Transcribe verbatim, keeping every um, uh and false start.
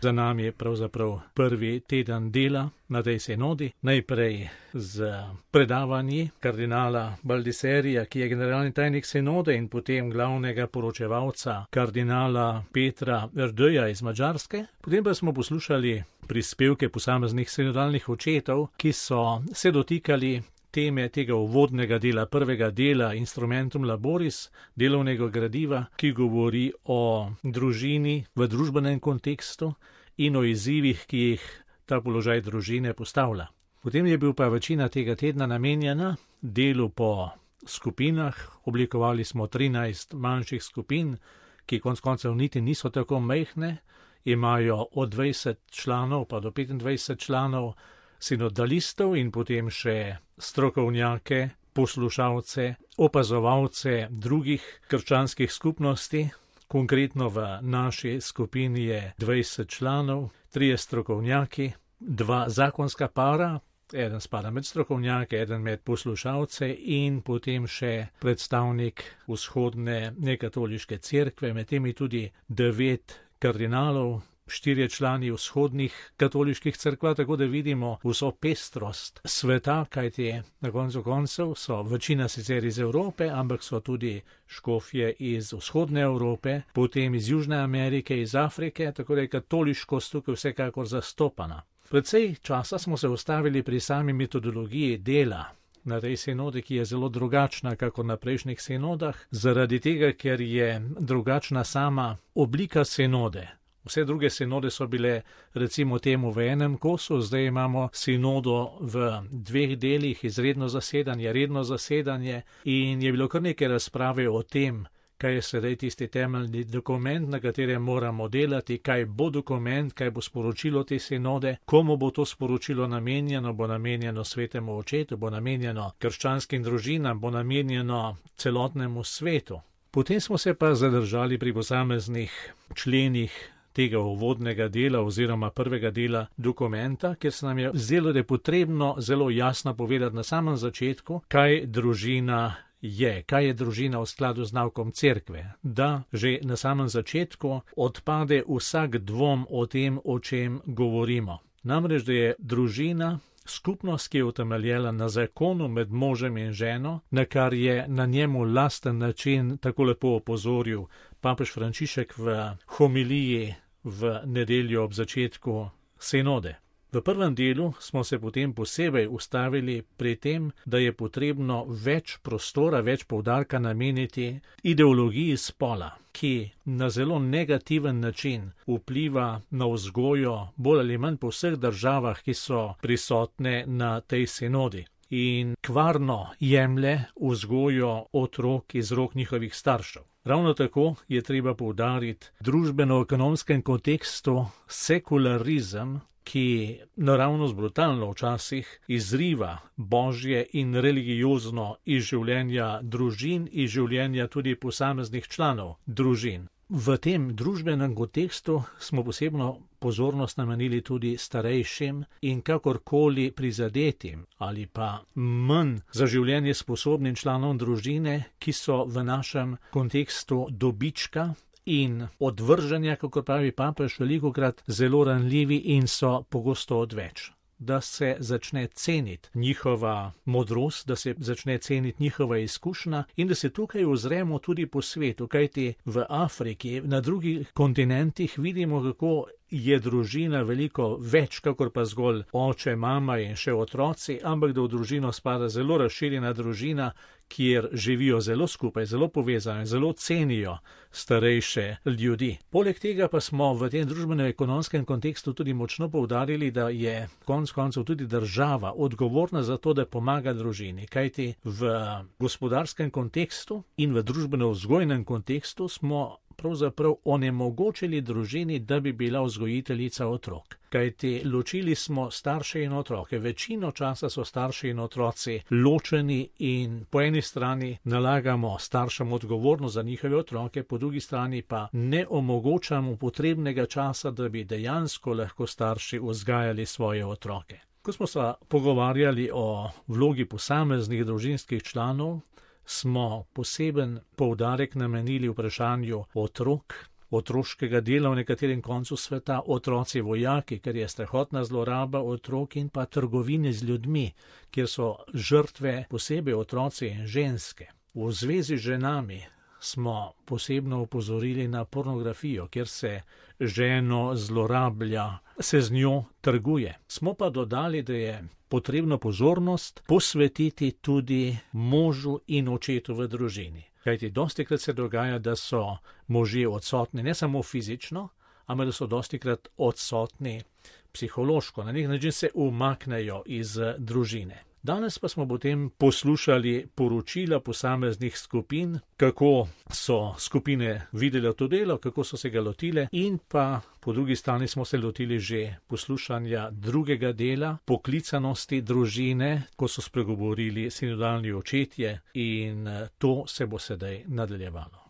Za nami je pravzaprav prvi teden dela na tej sinodi, najprej z predavanji kardinala Baldiserija, ki je generalni tajnik sinode, in potem glavnega poročevalca kardinala Petra Erdőja iz Madžarske. Potem pa smo poslušali prispevke posameznih sinodalnih očetov, ki so se dotikali teme tega uvodnega dela, prvega dela Instrumentum Laboris, delovnega gradiva, ki govori o družini v družbenem kontekstu in o izzivih, ki jih ta položaj družine postavlja. Potem je bil pa večina tega tedna namenjena delu po skupinah. Oblikovali smo trinajst manjših skupin, ki konec koncev niti niso tako majhne, imajo od dvajset članov pa do petindvajset članov, sinodalistov in potem še strokovnjake, poslušalce, opazovalce drugih krščanskih skupnosti. Konkretno v naši skupini je dvajset članov, trije strokovnjaki, dva zakonska para, eden spada med strokovnjake, eden med poslušalce in potem še predstavnik vzhodne nekatoliške cerkve, med temi tudi devet kardinalov, štirje člani vzhodnih katoliških cerkva, tako da vidimo vso pestrost sveta, kajti na koncu koncev so večina sicer iz Evrope, ampak so tudi škofje iz vzhodne Evrope, potem iz Južne Amerike, iz Afrike, tako da je katoliškost tukaj vsekakor zastopana. Predvsej časa smo se ustavili pri sami metodologiji dela na tej sinodi, ki je zelo drugačna kakor na prejšnjih sinodah, zaradi tega, ker je drugačna sama oblika sinode. Vse druge sinode so bile recimo temu v enem kosu, zdaj imamo sinodo v dveh delih, izredno zasedanje, redno zasedanje, in je bilo kar nekaj razprave o tem, kaj je sedaj tisti temeljni dokument, na katerem moramo delati, kaj bo dokument, kaj bo sporočilo te sinode, komu bo to sporočilo namenjeno, bo namenjeno svetemu očetu, bo namenjeno krščanskim družinam, bo namenjeno celotnemu svetu. Potem smo se pa zadržali pri posameznih členih tega uvodnega dela oziroma prvega dela dokumenta, ker se nam je zdelo, da je potrebno zelo jasno povedati na samem začetku, kaj družina je, kaj je družina v skladu z naukom cerkve, da že na samem začetku odpade vsak dvom o tem, o čem govorimo. Namreč, da je družina skupnost, ki je utemeljena na zakonu med možem in ženo, na kar je na njemu lasten način tako lepo opozoril papež Frančišek v homiliji v nedeljo ob začetku sinode. V prvem delu smo se potem posebej ustavili pri tem, da je potrebno več prostora, več poudarka nameniti ideologiji spola, ki na zelo negativen način vpliva na vzgojo bolj ali manj po vseh državah, ki so prisotne na tej sinodi, in kvarno jemlje vzgojo otrok iz rok njihovih staršev. Ravno tako je treba poudariti družbeno-ekonomskem kontekstu sekularizem, ki naravnost brutalno včasih izriva božje in religiozno iz življenja družin, iz življenja tudi posameznih članov družin. V tem družbenem kontekstu smo posebno pozornost namenili tudi starejšim in kakorkoli prizadetim ali pa manj za življenje sposobnim članom družine, ki so v našem kontekstu dobička in odvrženja, kako pravi papež, velikokrat zelo ranljivi in so pogosto odveč. Da se začne ceniti njihova modrost, da se začne ceniti njihova izkušnja in da se tukaj ozremo tudi po svetu, kajti v Afriki, na drugih kontinentih vidimo, kako je družina veliko več, kakor pa zgolj oče, mama in še otroci, ampak da v družino spada zelo razširjena družina, kjer živijo zelo skupaj, zelo povezani, zelo cenijo starejše ljudi. Poleg tega pa smo v tem družbeno-ekonomskem kontekstu tudi močno poudarili, da je konec koncev tudi država odgovorna za to, da pomaga družini, kajti v gospodarskem kontekstu in v družbeno-vzgojnem kontekstu smo pravzaprav onemogočili družini, da bi bila vzgojiteljica otrok. Kajti ločili smo starše in otroke. Večino časa so starši in otroci ločeni in po eni strani nalagamo staršem odgovornost za njihove otroke, po drugi strani pa ne omogočamo potrebnega časa, da bi dejansko lahko starši vzgajali svoje otroke. Ko smo se pogovarjali o vlogi posameznih družinskih članov, smo poseben poudarek namenili vprašanju otrok otroškega dela v nekaterem koncu sveta, otroci vojaki, ker je strahotna zloraba otrok, in pa trgovine z ljudmi, kjer so žrtve posebej otroci in ženske. V zvezi z ženami smo posebno upozorili na pornografijo, kjer se ženo zlorablja, se z njo trguje. Smo pa dodali, da je potrebno pozornost posvetiti tudi možu in očetu v družini. Kajti dostikrat se dogaja, da so možje odsotni ne samo fizično, ampak da so dostikrat odsotni psihološko, na nek način se umaknejo iz družine. Danes pa smo potem poslušali poročila posameznih skupin, kako so skupine videle to delo, kako so se ga lotile, in pa po drugi strani smo se lotili že poslušanja drugega dela, poklicanosti družine, ko so spregovorili sinodalni očetje, in to se bo sedaj nadaljevalo.